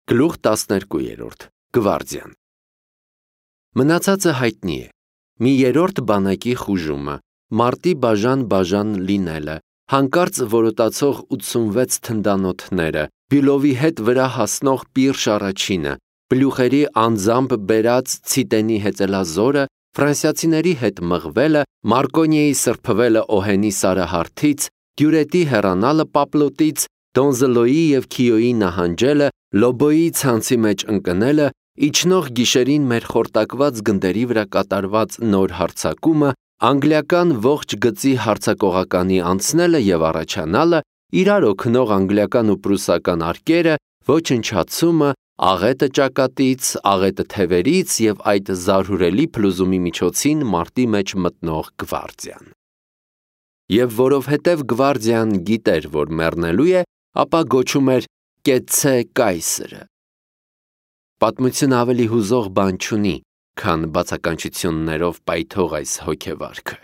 Գլուխ 12. Գվարդիան Մնացածը հայտնի է. մի երրորդ բանակի խուժումը, մարտի բաժան լինելը, հանկարծ որոտացող 86 թնդանոթները, Բյուլովի հետ վրա հասնող Պիրշ առաջինը, պլյուխերի անձամբ բերած ցիտենի հեծելազորը, ֆրանսիացիների հետ մղվելը, Մարկոնիեի սրբվելը Օհենի սարահարթից, Դյուրետի հեռանալը Պապլոտից, Դոնզելոյի և Քիոյի նահանջելը, Լոբոյի ցանցի մեջ ընկնելը, իջնող գիշերին մեր խորտակված գնդերի վրա կատարված նոր հարձակումը, անգլիական ողջ գծի հարձակողականի անցնելը և առաջանալը, իրար օգնող անգլիական ու պրուսական արկերը, ոչնչացումը, աղետը ճակատից, աղետը թևերից և այդ զարհուրելի փլուզումի միջոցին մարտի մեջ մտնող գվարդիան։ Եվ որովհետև գվարդիան գիտեր, որ մեռնելու է, ապա գոչում էր «Կեցցե կայսրը»։ Պատմությունը ավելի հուզող բան չունի, քան բացականչություններով պայթող այս հոգեվարքը։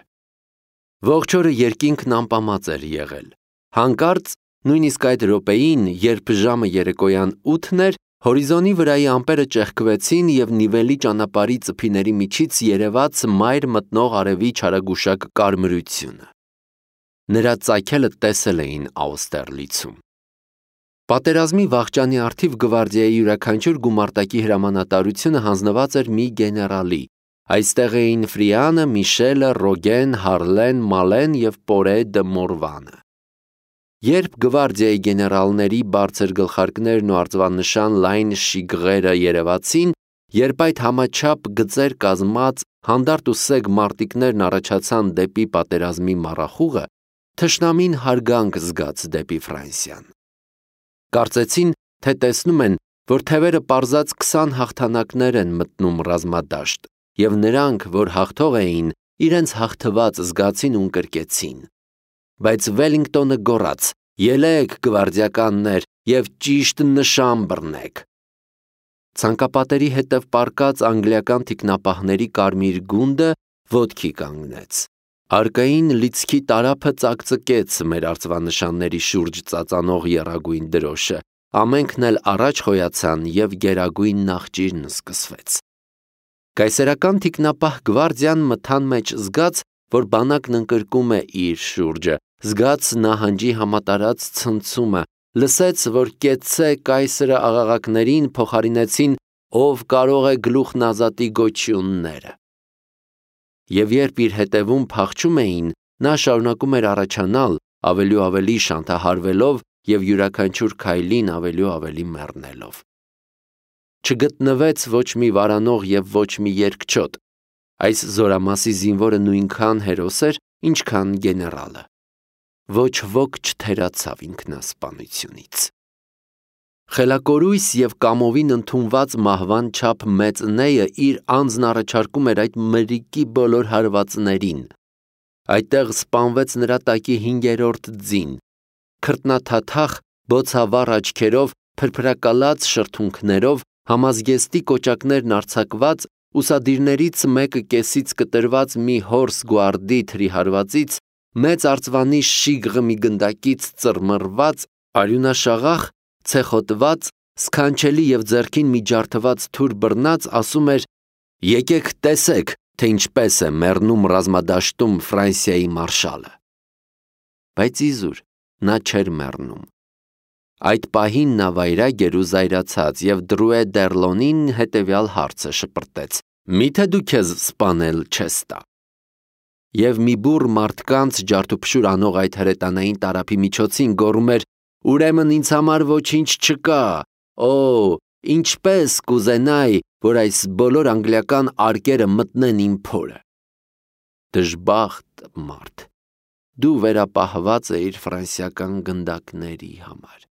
Ողջ օրը երկինքն ամպամած էր եղել։ Հանկարծ, նույնիսկ այդ րոպեին, երբ ժամը երեկոյան 8-ն էր, հորիզոնի վրայի ամպերը ճեղքվեցին և նիվելի ճանապարհի ծփիների միջից երևաց մայր մտնող արևի չարագուշակ կարմրությունը։ Նրա ծագելը տեսել էին Աուստերլիցում։ Պատերազմի վախճանի առթիվ գվարդիայի յուրաքանչյուր գումարտակի հրամանատարությունը հանձնված էր մի գեներալի։ Այստեղ էին Ֆրիանը, Միշելը, Ռոգեն, Հարլեն, Մալեն և Պորե դը Մորվանը։ Երբ գվարդիայի գեներալների բարձր գլխարկներն ու արծվանշան լայն շիգղերը երևացին, երբ այդ համաչափ գծեր կազմած հանդարտ ու սեգ մարտիկներն առաջացան դեպի պատերազմի մառախուղը, թշնամին հարգանք զգաց դեպի Ֆրանսիան։ Կարծեցին, թե տեսնում են, որ թևերը պարզած 20 հաղթանակներ են մտնում ռազմադաշտ, և նրանք, որ հաղթող էին, իրենց հաղթված զգացին ու ընկրկեցին։ Բայց Վելինգտոնը գոռաց. «Ելեք, գվարդիականներ, և ճիշտ նշան բռնեք»։ Ցանկապատերի հետև պառկած անգլիական թիկնապահների կարմիր գունդը ոտքի կանգնեց։ Arkային լիցքի տարափը ծակծկեց մեր արծվանշանների շուրջ ծածանող եռագույն դրոշը, ամենքն էլ առաջ խոյացան և գերագույն նախճիրն սկսվեց։ Կայսերական թիկնապահ գվարդիան մթան մեջ զգաց, որ բանակն ընկրկում է իր շուրջը, զգաց նահանջի համատարած ցնցումը, լսեց, որ «Կեցցե կայսրը» աղաղակներին փոխարինեցին «Ով կարող է գլուխն ազատի» գոչյունները։ Եվ երբ իր հետևում փախչում էին, նա շարունակում էր առաջանալ, ավելի ու ավելի շանթահարվելով և յուրաքանչյուր քայլին ավելի ու ավելի մեռնելով։ Չգտնվեց ոչ մի վարանող և ոչ մի երկչոտ։ Այս զորամասի զինվորը նույնքան հերոս էր, ինչքան գեներալը։ Ոչ ոք չթերացավ ինքնասպանությունից։ Խելակորույս և կամովին ընդունված մահվան չափ մեծ նեյը իր անձն առաջարկում էր այդ մրրիկի բոլոր հարվածներին։ Այդտեղ սպանվեց նրա տակի 5-րդ ձին, քրտնաթաթախ, բոցավառ աչքերով, փրփրակալած շրթունքներով, համազգեստի կոճակներն արձակված, ուսադիրներից մեկը կեսից կտրված մի հորս գուարդի թրի հարվածից, մեծ արծվանի շիգղը մի գնդակից ծռմռված, արյունաշաղախ, ցեխոտված, սքանչելի և ձեռքին մի ջարդված թուր բռնած, ասում էր. «Եկեք տեսեք, թե ինչպես է մեռնում ռազմադաշտում Ֆրանսիայի մարշալը»։ Բայց իզուր, նա չէր մեռնում։ Այդ պահին նա վայրագ էր ու զայրացած և Դրուե դ'Եռլոնին հետևյալ հարցը շպրտեց. «Մի՞թե դու քեզ սպանել չես տա»։ Եվ մի բուռ մարդկանց ջարդուփշուր անող այդ հրետանային տարափի միջոցին գոռում էր. «Ուրեմն ինձ համար ոչինչ չկա, օ, ինչպես կուզենայի, որ այս բոլոր անգլիական արկերը մտնեն իմ փորը»։ Դժբախտ մարդ, դու վերապահված էիր ֆրանսիական գնդակների համար։